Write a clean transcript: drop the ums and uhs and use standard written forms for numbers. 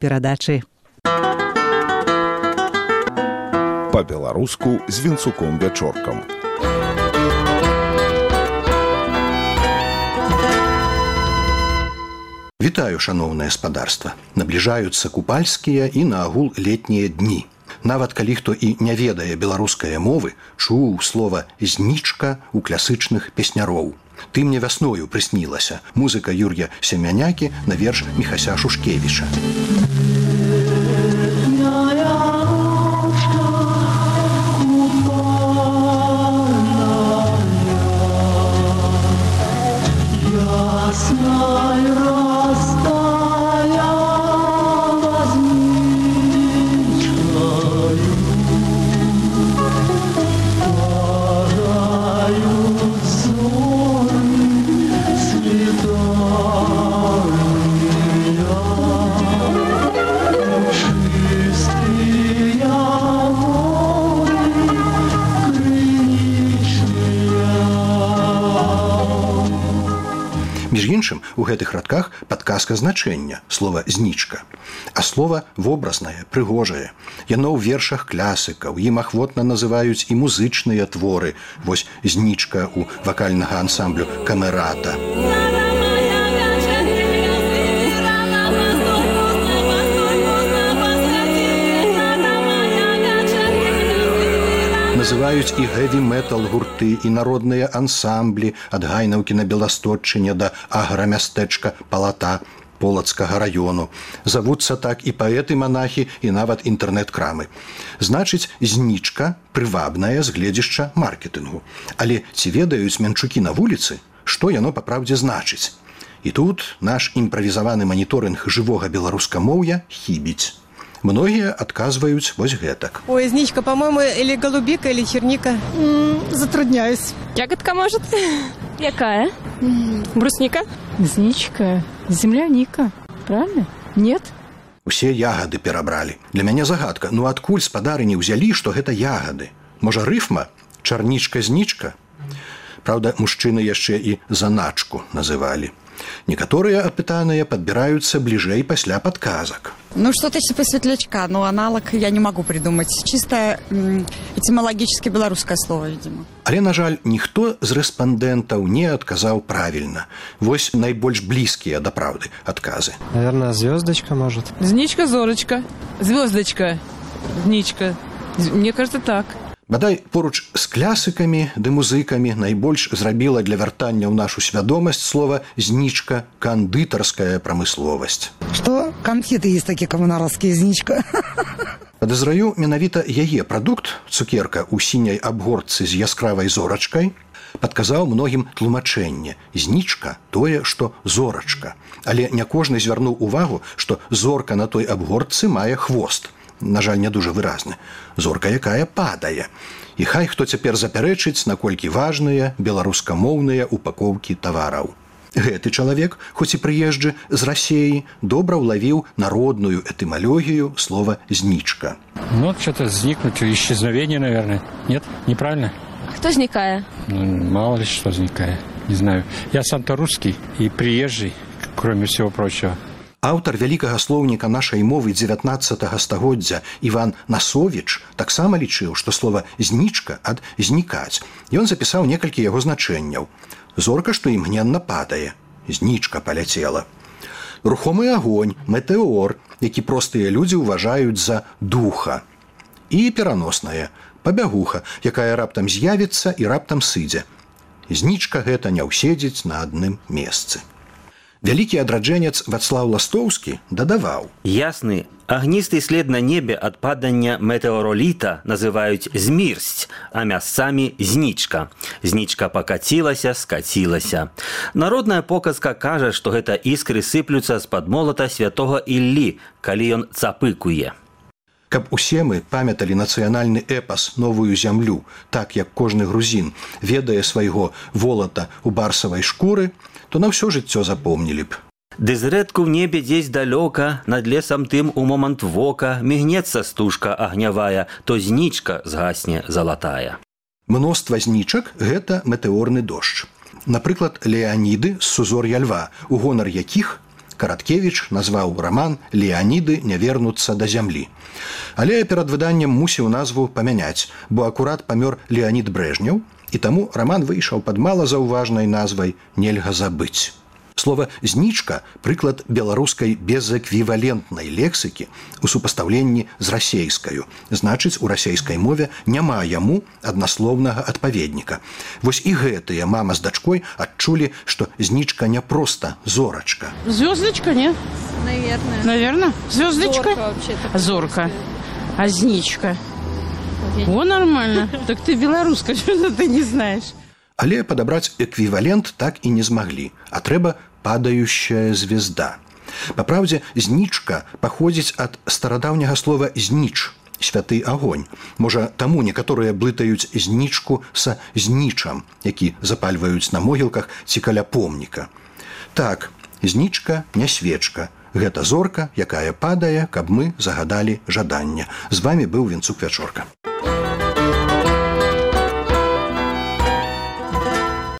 перадачы. Па-беларуску з Вінцуком-Вячоркам. Вітаю, шаноўнае спадарства. Набліжаюцца купальскія і наагул летнія дні. Нават калі хто і не ведае беларускае мовы, чуў слова «знічка» у класычных песняроў. «Ты мне вясною прыснілася» – музыка Юр'я Семянякі на верш Міхася Шушкевіча. Між іншым, у гэтых радках падказка значэння слова «знічка». А слова вобразнае, прыгожае. Яно ў вершах класыкаў, ім ахвотна называюць і музычныя творы. Вось «знічка» у вакальнага ансамблю «Камерата». Называюць і хэві-метал гурты, і народныя ансамблі ад Гайнаўкі на Беластотчыне да аграмястэчка Палата Полацкага раёну. Завуцца так і паэты-манахі, і нават інтэрнэт-крамы. Значыць, знічка прывабнае з гледзішча маркетынгу. Але ці ведаюць менчукі на вуліцы, што яно папраўдзе значыць? І тут наш імправізаваны маніторынг жывога беларускамоўя хібіць. Многие отказывают вот гэтак. Ой, зничка, по-моему, или голубика, или черника. Затрудняюсь. Ягодка, может? Якая? Брусника? Зничка. Земляника. Правильно? Нет? Усе ягоды перабрали. Для мяне загадка. Ну адкуль спадарыні ўзялі, што гэта ягоды? Можа, рыфма? Чарнічка-знічка? Правда, мужчыны яшчэ і заначку называлі. Некоторые опытанные подбираются ближей пасля подказок. Ну, что-то типа светлячка, но аналог я не могу придумать. Чисто этимологически белорусское слово, видимо. Але, на жаль, ніхто з рэспандэнтаў не адказаў правильно. Вось найбольш блізкія да праўды адказы. Наверное, звездочка, может. Зничка, зорочка. Звездочка. Зничка. Мне кажется, так. Бадай, поруч з класыкамі ды музыкамі найбольш зрабіла для вяртання ў нашу свядомасць слова «знічка» кандытарская прамысловасць. Что? Конфеты есть такие коммунаровские, зничка. Падазраю, менавіта яе прадукт, цукерка ў сіняй абгортцы з яскравай зорачкай, падказаў многім тлумачэнне. Знічка – тое, што зорачка. Але не кожны звярнуў увагу, што зорка на той абгортцы мае хвост. На жаль, не дуже выразны. Зорка, якая падае. І хай хто цяпер запярэчыць, наколькі важныя беларускамоўныя упакоўкі тавараў. Гэты чалавек, хоць і прыезджы з Расеі, добра ўлавіў народную этымалогію слова «зничка». Ну, что-то зникнуть, исчезновение, наверное. Нет? Неправильно? А кто зникае? Ну, мало ли что зникае. Не знаю. Я сам-то русский и приезжий, кроме всего прочего. Аўтар вялікага слоўніка нашай мовы 19 стагоддзя Іван Насовіч таксама лічыў, што слова «знічка» ад «знікаць». Ён запісаў некалькі яго значэнняў. Зорка, што імгненна падае. Знічка паляцела. Рухомы агонь, метэор, які простыя людзі ўважаюць за духа. І пераноснае, пабягуха, якая раптам з'явіцца і раптам сыдзе. Знічка гэта не ўседзіць на адным месцы. Вялікі адраджэнец Вацлаў Ластоўскі дадаваў. Ясны, агністы след на небе ад падання метэороліта называюць змірсць, а мясцамі знічка. Знічка пакацілася, скацілася. Народная показка кажа, што гэта іскры сыплюцца з-пад молата святога Іллі, калі ён цапыкуе. Каб усе мы памяталі нацыянальны эпас «Новую зямлю», так як кожны грузін ведае свайго волата ў барсавай шкуры, то на ўсё жыццё запомнілі б. Ды зрэдку ў небе дзесь далёка, над лесам тым у момант вока, мігнецца стужка агнявая, то знічка згасне залатая. Мноства знічак – гэта метэорны дождж. Напрыклад, Леаніды з сузор'я льва, у гонар якіх Караткевіч назваў раман «Леаніды не вернуцца да зямлі». Але перад выданнем мусіў назву памяняць, бо акурат памёр Леанід Брэжнеў, і таму раман выйшаў пад малазаўважнай назвай «Нельга забыць». Слова «знічка» – прыклад беларускай безэквівалентнай лексікі у супастаўленні з расейскаю. Значыць, у расейскай мове няма яму аднаслоўнага адпаведніка. Вось і гэтыя мама з дачкой адчулі, што знічка не проста зорачка. Звездочка, нет? Наверное. Звездочка? Зорка. А зничка? О, нормально. Так ты белоруска, что ты не знаешь? Але падабраць эквівалент так і не змаглі, а трэба падающая звезда. Па праўдзе, знічка паходзіць ад старадаўняга слова «зніч» – святы агонь. Можа, таму некаторыя блытаюць знічку са знічам, які запальваюць на могілках ці каля помніка. Так, знічка не свечка. Гэта зорка, якая падае, каб мы загадалі жаданне. З вамі быў Вінцук Вячорка.